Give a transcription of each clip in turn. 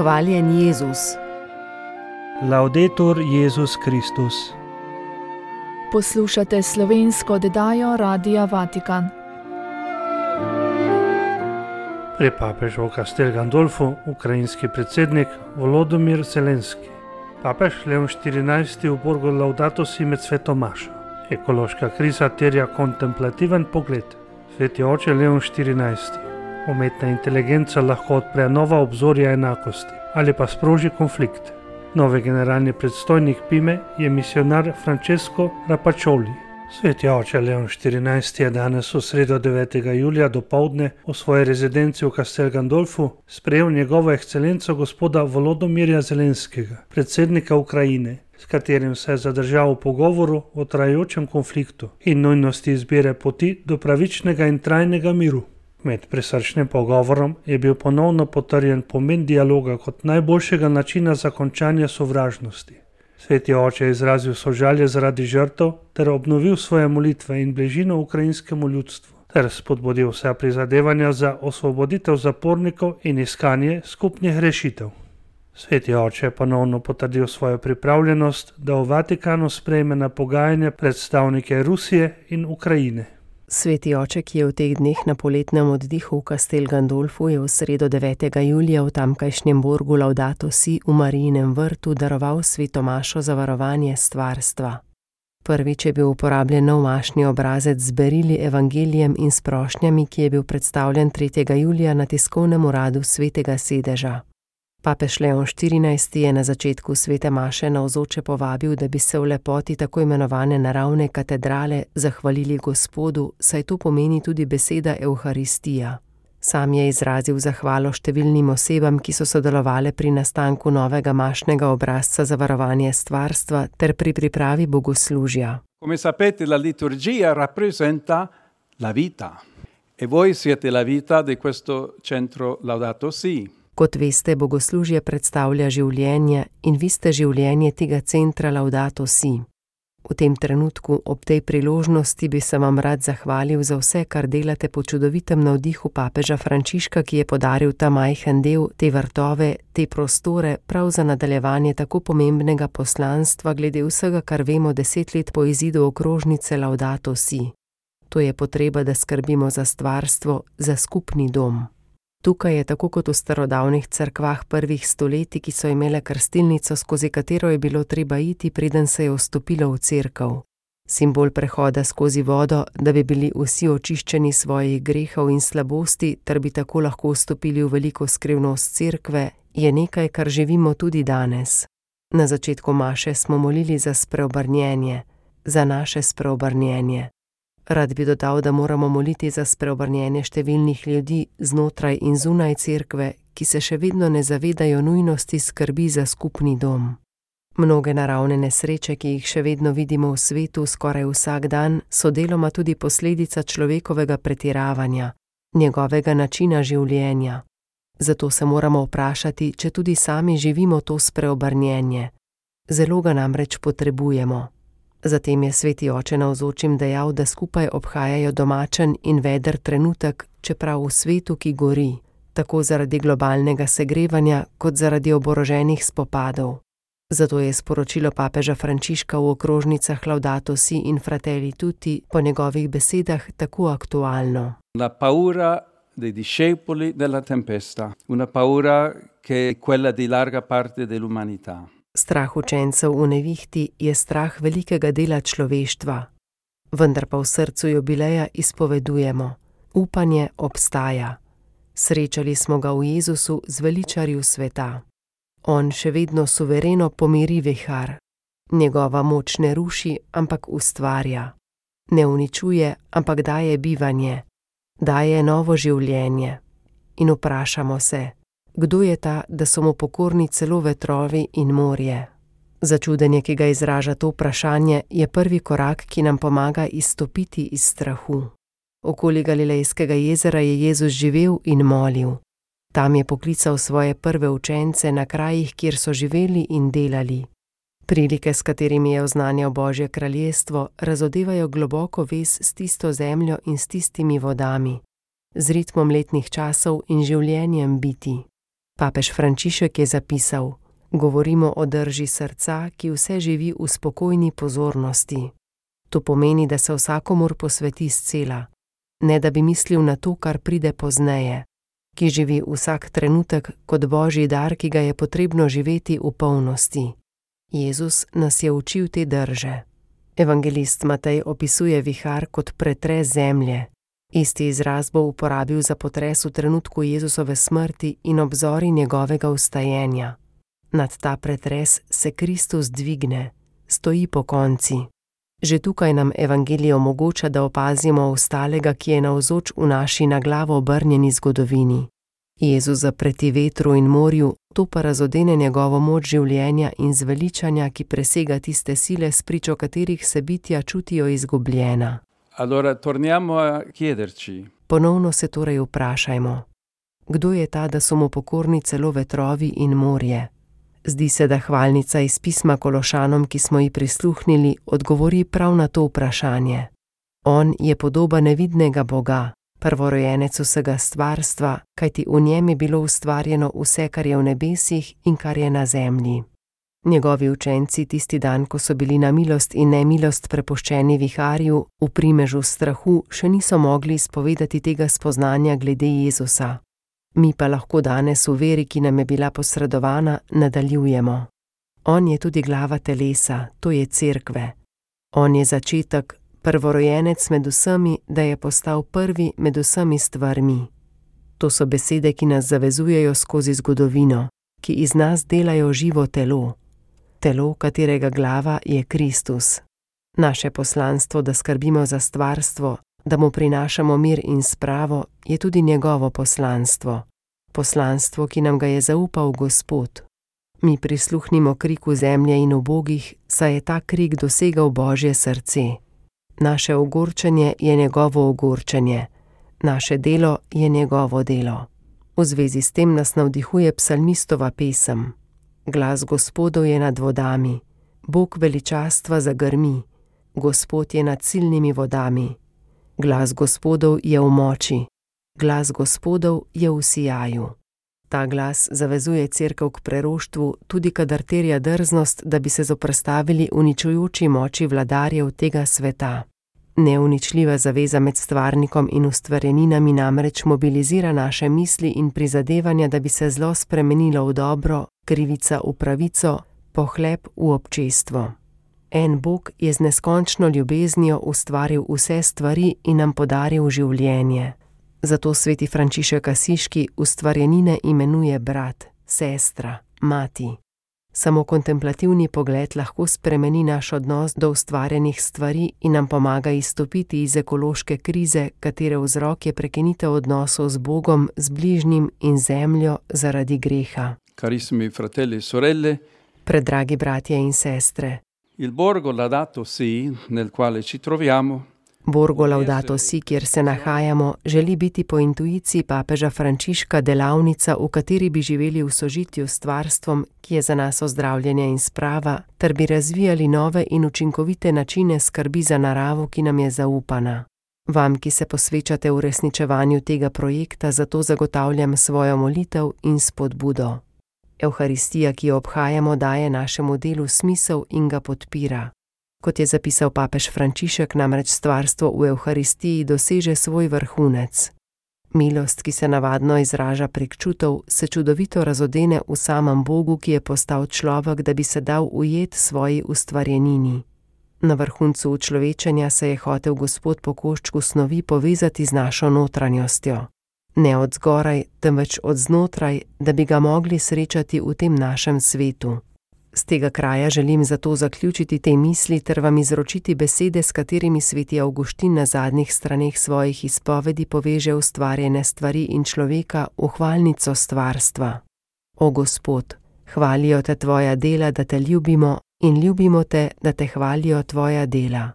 Hvaljen Jezus. Laudetur Jezus Kristus. Poslušate slovensko oddajo Radia Vatikan. Pri papežu v Castel Gandolfu ukrajinski predsednik Volodymyr Zelenski. Papež Leon XIV v Borgu Laudato Si med sveto mašo. Ekološka kriza terja kontemplativen pogled. Sveti oče Leon XIV. Umetna inteligenca lahko odpre nova obzorja enakosti ali pa sproži konflikt. Novi generalni predstojnik Pime je misionar Francesco Rapaccioli. Sveti oče Leon XIV je danes v sredo 9. julija dopoldne v svoji rezidenci v Castel Gandolfu sprejel njegovo ekscelenco gospoda Volodymyrja Zelenskega, predsednika Ukrajine, s katerim se je zadržal v pogovoru o trajajočem konfliktu in nujnosti izbire poti do pravičnega in trajnega miru. Med prisrčnim pogovorom je bil ponovno potrjen pomen dialoga kot najboljšega načina za končanje sovražnosti. Sveti oče je izrazil sožalje zaradi žrtev ter obnovil svoje molitve in bližino ukrajinskemu ljudstvu ter spodbudil vsa prizadevanja za osvoboditev zapornikov in iskanje skupnih rešitev. Sveti oče je ponovno potrdil svojo pripravljenost, da v Vatikanu sprejme na pogajanje predstavnike Rusije in Ukrajine. Sveti oče, ki je v teh dneh na poletnem oddihu v Castel Gandolfu, je v sredo 9. julija v tamkajšnjem Borgu Laudato Si v Marijinem vrtu daroval sveto mašo za varovanje stvarstva. Prvič je bil uporabljen nov mašni obrazec z berili, evangelijem in s prošnjami, ki je bil predstavljen 3. julija na tiskovnem uradu svetega sedeža. Papež Leon XIV je na začetku svete maše navzoče povabil, da bi se v lepoti tako imenovane naravne katedrale zahvalili Gospodu, saj to pomeni tudi beseda Evharistija. Sam je izrazil zahvalo številnim osebam, ki so sodelovale pri nastanku novega mašnega obrazca za varovanje stvarstva ter pri pripravi bogoslužja. Come sapete, la liturgia rappresenta la vita e voi siete la vita di questo centro Laudato Si. Kot veste, bogoslužje predstavlja življenje in vi ste življenje tega centra Laudato Si. V tem trenutku, ob tej priložnosti, bi se vam rad zahvalil za vse, kar delate po čudovitem navdihu papeža Frančiška, ki je podaril ta majhen del, te vrtove, te prostore, prav za nadaljevanje tako pomembnega poslanstva glede vsega, kar vemo 10 let po izidu okrožnice Laudato Si. To je potreba, da skrbimo za stvarstvo, za skupni dom. Tukaj je tako kot v starodavnih cerkvah prvih stoletij, ki so imele krstilnico, skozi katero je bilo treba iti, preden se je vstopilo v cerkev. Simbol prehoda skozi vodo, da bi bili vsi očiščeni svojih grehov in slabosti, ter bi tako lahko vstopili v veliko skrivnost cerkve, je nekaj, kar živimo tudi danes. Na začetku maše smo molili za spreobrnjenje, za naše spreobrnjenje. Rad bi dodal, da moramo moliti za spreobrnjenje številnih ljudi znotraj in zunaj cerkve, ki se še vedno ne zavedajo nujnosti skrbi za skupni dom. Mnoge naravne nesreče, ki jih še vedno vidimo v svetu skoraj vsak dan, so deloma tudi posledica človekovega pretiravanja, njegovega načina življenja. Zato se moramo vprašati, če tudi sami živimo to spreobrnjenje. Zelo ga namreč potrebujemo. Zatem je sveti oče navzočim dejal, da skupaj obhajajo domačen in veder trenutek, čeprav v svetu, ki gori, tako zaradi globalnega segrevanja, kot zaradi oboroženih spopadov. Zato je sporočilo papeža Frančiška v okrožnicah Laudato Si in Fratelli Tutti po njegovih besedah tako aktualno. La paura dei discepoli della tempesta, una paura che è quella di larga parte dell'umanità. Strah učencev v nevihti je strah velikega dela človeštva. Vendar pa v srcu jubileja izpovedujemo. Upanje obstaja. Srečali smo ga v Jezusu, zveličarju sveta. On še vedno suvereno pomiri vihar. Njegova moč ne ruši, ampak ustvarja. Ne uničuje, ampak daje bivanje. Daje novo življenje. In vprašamo se, kdo je ta, da so mu pokorni celo vetrovi in morje? Začudenje, ki ga izraža to vprašanje, je prvi korak, ki nam pomaga izstopiti iz strahu. Okoli Galilejskega jezera je Jezus živel in molil. Tam je poklical svoje prve učence na krajih, kjer so živeli in delali. Prilike, s katerimi je oznanjal Božje kraljestvo, razodevajo globoko vez s tisto zemljo in s tistimi vodami, z ritmom letnih časov in življenjem biti. Papež Frančišek je zapisal: govorimo o drži srca, ki vse živi v spokojni pozornosti. To pomeni, da se vsakomur posveti scela, ne da bi mislil na to, kar pride pozneje, ki živi vsak trenutek kot božji dar, ki ga je potrebno živeti v polnosti. Jezus nas je učil te drže. Evangelist Matej opisuje vihar kot pretres zemlje. Isti izraz bo uporabil za potres v trenutku Jezusove smrti in obzori njegovega vstajenja. Nad ta pretres se Kristus dvigne, stoji pokonci. Že tukaj nam evangelij omogoča, da opazimo ostalega, ki je navzoč v naši na glavo obrnjeni zgodovini. Jezus zapreti vetru in morju, to pa razodene njegovo moč življenja in zveličanja, ki presega tiste sile, spričo katerih se bitja čutijo izgubljena. Allora torniamo a chiederci. Ponovno se torej vprašajmo, kdo je ta, da so mu pokorni celo vetrovi in morje? Zdi se, da hvalnica iz pisma Kološanom, ki smo ji prisluhnili, odgovori prav na to vprašanje. On je podoba nevidnega Boga, prvorojenec vsega stvarstva, kajti v njem je bilo ustvarjeno vse, kar je v nebesih in kar je na zemlji. Njegovi učenci tisti dan, ko so bili na milost in nemilost prepuščeni viharju, v primežu strahu, še niso mogli izpovedati tega spoznanja glede Jezusa. Mi pa lahko danes v veri, ki nam je bila posredovana, nadaljujemo. On je tudi glava telesa, to je cerkve. On je začetek, prvorojenec med vsemi, da je postal prvi med vsemi stvarmi. To so besede, ki nas zavezujejo skozi zgodovino, ki iz nas delajo živo telo. Telo, katerega glava je Kristus. Naše poslanstvo, da skrbimo za stvarstvo, da mu prinašamo mir in spravo, je tudi njegovo poslanstvo. Poslanstvo, ki nam ga je zaupal Gospod. Mi prisluhnimo kriku zemlje in ubogih, saj je ta krik dosegal Božje srce. Naše ogorčenje je njegovo ogorčenje, naše delo je njegovo delo. V zvezi s tem nas navdihuje psalmistova pesem. Glas Gospodov je nad vodami, Bog veličastva zagrmi, Gospod je nad silnimi vodami. Glas Gospodov je v moči, glas Gospodov je v sijaju. Ta glas zavezuje cerkev k preroštvu, tudi kadar terja drznost, da bi se zoperstavili uničujoči moči vladarjev tega sveta. Neuničljiva zaveza med stvarnikom in ustvarjeninami namreč mobilizira naše misli in prizadevanja, da bi se zlo spremenilo v dobro, krivica v pravico, pohlep v občestvo. En Bog je z neskončno ljubeznijo ustvaril vse stvari in nam podaril življenje. Zato sveti Frančišek Asiški ustvarjenine imenuje brat, sestra, mati. Samo kontemplativni pogled lahko spremeni naš odnos do ustvarjenih stvari in nam pomaga izstopiti iz ekološke krize, katere vzrok je prekinitev odnosov z Bogom, z bližnjim in zemljo zaradi greha. Carissimi fratelli e sorelle, Predragi bratje in sestre, il Borgo Laudato Si, nel quale ci troviamo, Borgo Laudato Si, kjer se nahajamo, želi biti po intuiciji papeža Frančiška delavnica, v kateri bi živeli v sožitju s stvarstvom, ki je za nas ozdravljenje in sprava, ter bi razvijali nove in učinkovite načine skrbi za naravo, ki nam je zaupana. Vam, ki se posvečate uresničevanju tega projekta, zato zagotavljam svojo molitev in spodbudo. Evharistija, ki jo obhajamo, daje našemu delu smisel in ga podpira. Kot je zapisal papež Frančišek, namreč stvarstvo v Evharistiji doseže svoj vrhunec. Milost, ki se navadno izraža prek čutov, se čudovito razodene v samem Bogu, ki je postal človek, da bi se dal ujet svoji ustvarjenini. Na vrhuncu učlovečenja se je hotel Gospod po koščku snovi povezati z našo notranjostjo. Ne od zgoraj, temveč od znotraj, da bi ga mogli srečati v tem našem svetu. Z tega kraja želim zato zaključiti te misli ter vam izročiti besede, s katerimi sveti Avguštin na zadnjih straneh svojih izpovedi poveže ustvarjene stvari in človeka v hvalnico stvarstva. O Gospod, hvalijo te tvoja dela, da te ljubimo, in ljubimo te, da te hvalijo tvoja dela.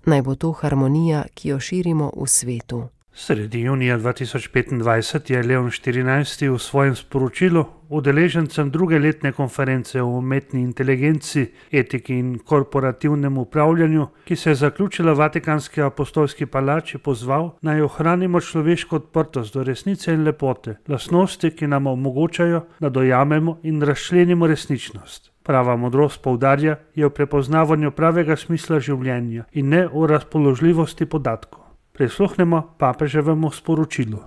Naj bo to harmonija, ki jo širimo v svetu. Sredi junija 2025 je Leon XIV v svojem sporočilu udeležencem druge letne konference o umetni inteligenci, etiki in korporativnem upravljanju, ki se je zaključila v Vatikanski apostolski palači, pozval, naj ohranimo človeško odprtost do resnice in lepote, lastnosti, ki nam omogočajo, da dojamemo in razčlenimo resničnost. Prava modrost, poudarja, je v prepoznavanju pravega smisla življenja in ne v razpoložljivosti podatkov. Prisluhnemo papeževemu sporočilu.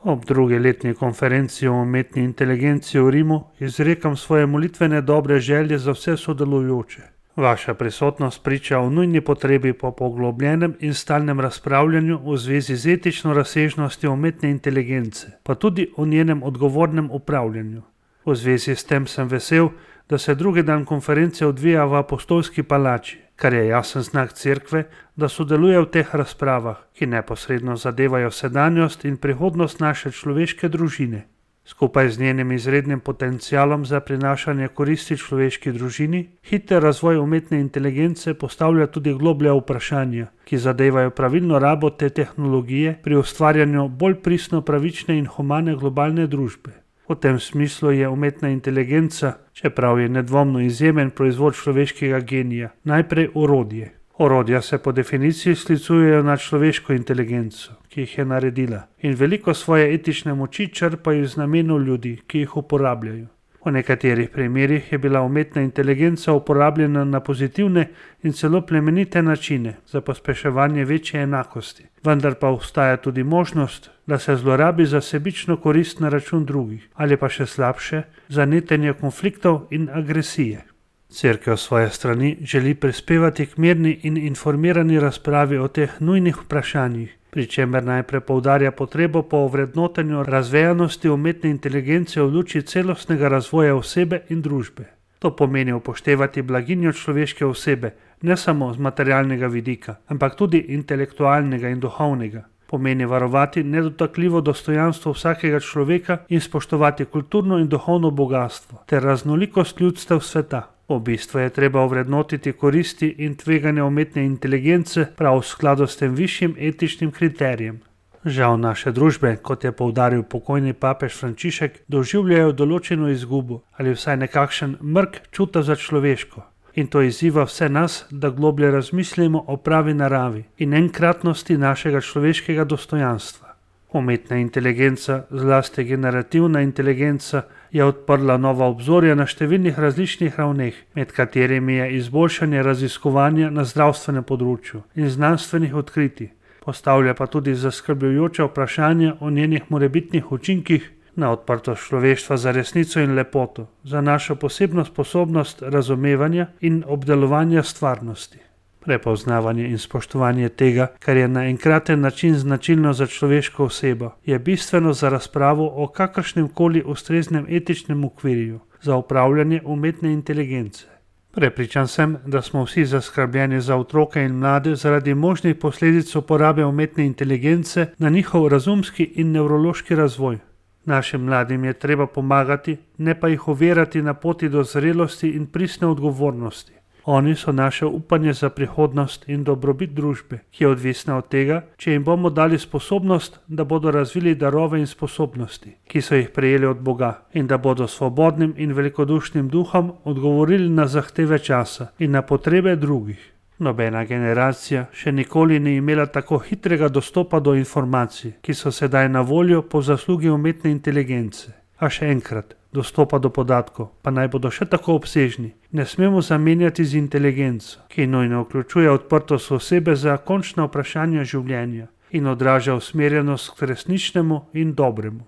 Ob drugi letni konferenci o umetni inteligenci v Rimu izrekam svoje molitvene dobre želje za vse sodelujoče. Vaša prisotnost priča o nujni potrebi po poglobljenem in stalnem razpravljanju v zvezi z etično razsežnostjo umetne inteligence, pa tudi o njenem odgovornem upravljanju. V zvezi s tem sem vesel, da se drugi dan konference odvija v apostolski palači, kar je jasen znak cerkve, da sodeluje v teh razpravah, ki neposredno zadevajo sedanjost in prihodnost naše človeške družine. Skupaj z njenim izrednim potencialom za prinašanje koristi človeški družini, hiter razvoj umetne inteligence postavlja tudi globlja vprašanja, ki zadevajo pravilno rabo te tehnologije pri ustvarjanju bolj pristno pravične in humane globalne družbe. V tem smislu je umetna inteligenca, čeprav je nedvomno izjemen proizvod človeškega genija, najprej orodje. Orodja se po definiciji sklicujejo na človeško inteligenco, ki jih je naredila, in veliko svoje etične moči črpajo iz namenov ljudi, ki jih uporabljajo. V nekaterih primerih je bila umetna inteligenca uporabljena na pozitivne in celo plemenite načine za pospeševanje večje enakosti, vendar pa obstaja tudi možnost, da se zlorabi za sebično korist na račun drugih, ali pa še slabše, za netenje konfliktov in agresije. Cerkev svoje strani želi prispevati k mirni in informirani razpravi o teh nujnih vprašanjih, pri čemer najprej poudarja potrebo po ovrednotenju razvejanosti umetne inteligence v luči celostnega razvoja osebe in družbe. To pomeni upoštevati blaginjo človeške osebe, ne samo z materialnega vidika, ampak tudi intelektualnega in duhovnega. Pomeni varovati nedotakljivo dostojanstvo vsakega človeka in spoštovati kulturno in duhovno bogatstvo ter raznolikost ljudstev sveta. V bistvu je treba ovrednotiti koristi in tveganja umetne inteligence prav v skladu s tem višjim etičnim kriterijem. Žal naše družbe, kot je poudaril pokojni papež Frančišek, doživljajo določeno izgubo ali vsaj nekakšen mrk čuta za človeško. In to izziva vse nas, da globlje razmislimo o pravi naravi in enkratnosti našega človeškega dostojanstva. Umetna inteligenca, zlasti generativna inteligenca, je odprla nova obzorja na številnih različnih ravneh, med katerimi je izboljšanje raziskovanja na zdravstvenem področju in znanstvenih odkritij, postavlja pa tudi zaskrbljujoča vprašanja o njenih morebitnih učinkih na odprtost človeštva za resnico in lepoto, za našo posebno sposobnost razumevanja in obdelovanja stvarnosti. Prepoznavanje in spoštovanje tega, kar je na enkraten način značilno za človeško osebo, je bistveno za razpravo o kakršnem koli ustreznem etičnem okvirju za upravljanje umetne inteligence. Prepričan sem, da smo vsi zaskrbljeni za otroke in mlade zaradi možnih posledic uporabe umetne inteligence na njihov razumski in nevrološki razvoj. Našim mladim je treba pomagati, ne pa jih ovirati na poti do zrelosti in pristne odgovornosti. Oni so naše upanje za prihodnost in dobrobit družbe, ki je odvisna od tega, če jim bomo dali sposobnost, da bodo razvili darove in sposobnosti, ki so jih prejeli od Boga, in da bodo svobodnim in velikodušnim duhom odgovorili na zahteve časa in na potrebe drugih. Nobena generacija še nikoli ni imela tako hitrega dostopa do informacij, ki so sedaj na voljo po zaslugi umetne inteligence. A še enkrat, dostopa do podatkov, pa naj bodo še tako obsežni, ne smemo zamenjati z inteligenco, ki nujno vključuje odprtost osebe za končna vprašanja življenja in odraža usmerjenost k resničnemu in dobremu.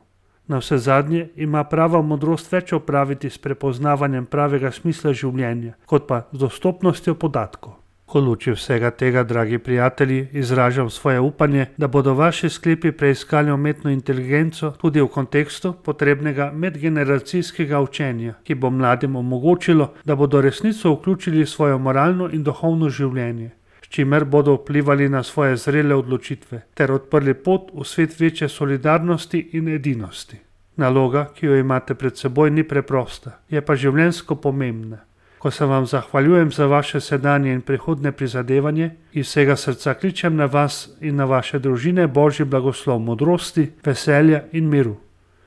Navsezadnje ima prava modrost več opraviti s prepoznavanjem pravega smisla življenja, kot pa z dostopnostjo podatkov. V luči vsega tega, dragi prijatelji, izražam svoje upanje, da bodo vaši sklepi preiskali umetno inteligenco tudi v kontekstu potrebnega medgeneracijskega učenja, ki bo mladim omogočilo, da bodo resnico vključili v svojo moralno in duhovno življenje, s čimer bodo vplivali na svoje zrele odločitve ter odprli pot v svet večje solidarnosti in edinosti. Naloga, ki jo imate pred seboj, ni preprosta, je pa življenjsko pomembna. Ko se vam zahvaljujem za vaše sedanje in prihodne prizadevanje, iz vsega srca kličem na vas in na vaše družine Božji blagoslov modrosti, veselja in miru.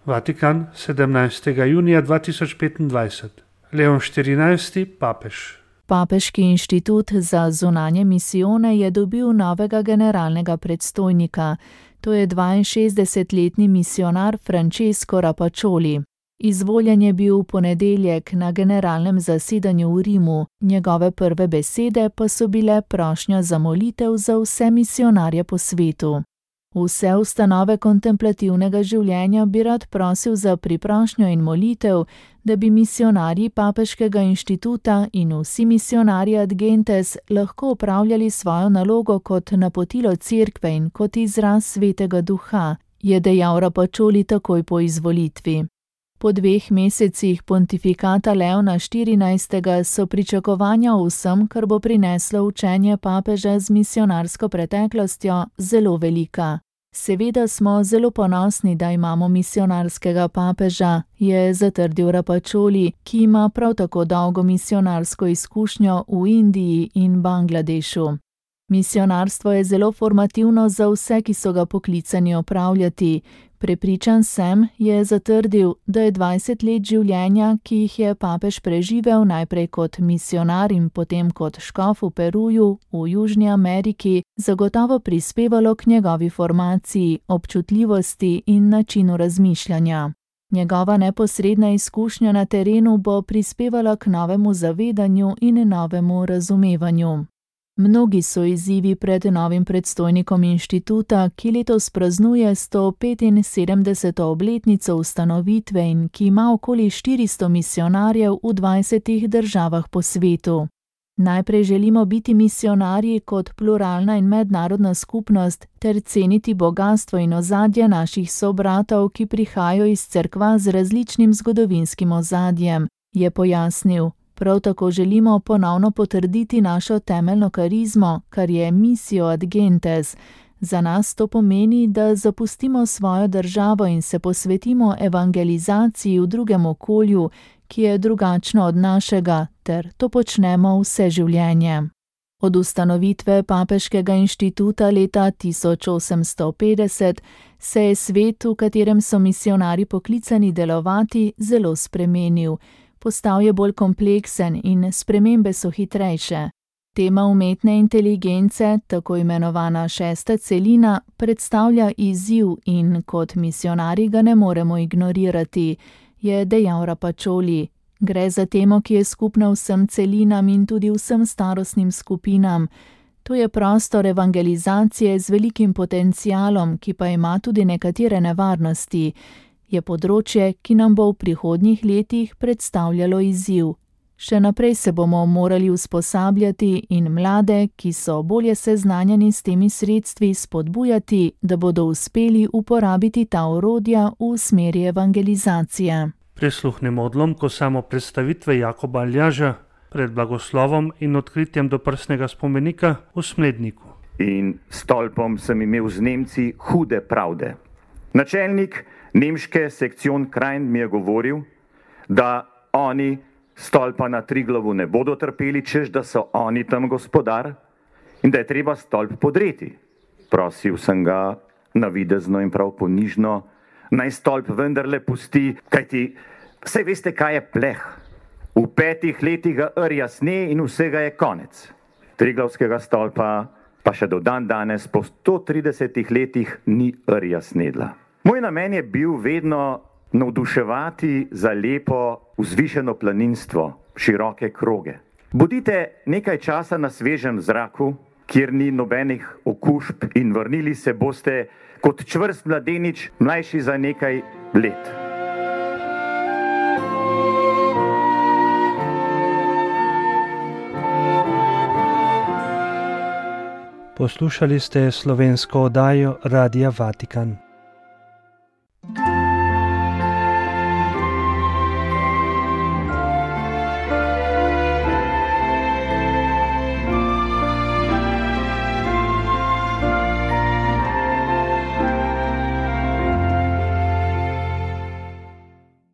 Vatikan, 17. junija 2025. Leon XIV, papež. Papeški inštitut za zunanje misijone je dobil novega generalnega predstojnika. To je 62-letni misionar Francesco Rapaccioli. Izvoljen je bil v ponedeljek na generalnem zasedanju v Rimu, njegove prve besede pa so bile prošnja za molitev za vse misionarje po svetu. Vse ustanove kontemplativnega življenja bi rad prosil za priprošnjo in molitev, da bi misionarji papeškega inštituta in vsi misionarji ad gentes lahko opravljali svojo nalogo kot napotilo cerkve in kot izraz svetega duha, je dejal Rapaccioli takoj po izvolitvi. Po 2 mesecih pontifikata Leona XIV. So pričakovanja o vsem, kar bo prineslo učenje papeža z misionarsko preteklostjo, zelo velika. Seveda smo zelo ponosni, da imamo misionarskega papeža, je zatrdil Rapaccioli, ki ima prav tako dolgo misionarsko izkušnjo v Indiji in Bangladešu. Misionarstvo je zelo formativno za vse, ki so ga poklicani opravljati. Prepričan sem, je zatrdil, da je 20 let življenja, ki jih je papež preživel najprej kot misionar in potem kot škof v Peruju, v Južni Ameriki, zagotovo prispevalo k njegovi formaciji, občutljivosti in načinu razmišljanja. Njegova neposredna izkušnja na terenu bo prispevala k novemu zavedanju in novemu razumevanju. Mnogi so izzivi pred novim predstojnikom inštituta, ki letos praznuje 175. obletnico ustanovitve in ki ima okoli 400 misionarjev v 20 državah po svetu. Najprej želimo biti misionarji kot pluralna in mednarodna skupnost ter ceniti bogastvo in ozadje naših sobratov, ki prihajajo iz cerkva z različnim zgodovinskim ozadjem, je pojasnil. Prav tako želimo ponovno potrditi našo temeljno karizmo, kar je missio ad gentes. Za nas to pomeni, da zapustimo svojo državo in se posvetimo evangelizaciji v drugem okolju, ki je drugačno od našega, ter to počnemo vse življenje. Od ustanovitve papeškega inštituta leta 1850 se je svet, v katerem so misionarji poklicani delovati, zelo spremenil. Postal je bolj kompleksen in spremembe so hitrejše. Tema umetne inteligence, tako imenovana 6. celina, predstavlja izziv in kot misionarji ga ne moremo ignorirati, je dejal Rapaccioli. Gre za temo, ki je skupna vsem celinam in tudi vsem starostnim skupinam. To je prostor evangelizacije z velikim potencialom, ki pa ima tudi nekatere nevarnosti. Je področje, ki nam bo v prihodnjih letih predstavljalo izziv. Še naprej se bomo morali usposabljati in mlade, ki so bolje seznanjeni s temi sredstvi, spodbujati, da bodo uspeli uporabiti ta orodja v smeri evangelizacije. Prisluhnimo odlomku samopredstavitve Jakoba Aljaža pred blagoslovom in odkritjem doprsnega spomenika v Smledniku. In stolpom sem imel z Nemci hude pravde. Načelnik nemške sekcion Krajn mi je govoril, da oni stolpa na Triglavu ne bodo trpeli, češ da so oni tam gospodar in da je treba stolp podreti. Prosil sem ga navidezno in prav ponižno, naj stolp vendarle pusti, kajti saj veste, kaj je pleh. V 5 letih ga rja sne in vsega je konec. Triglavskega stolpa pa še do dan danes po 130 letih ni rja snedla. Moj namen je bil vedno navduševati za lepo vzvišeno planinstvo, široke kroge. Bodite nekaj časa na svežem zraku, kjer ni nobenih okužb in vrnili se boste kot čvrst mladenič, mlajši za nekaj let. Poslušali ste slovensko oddajo Radia Vatikan.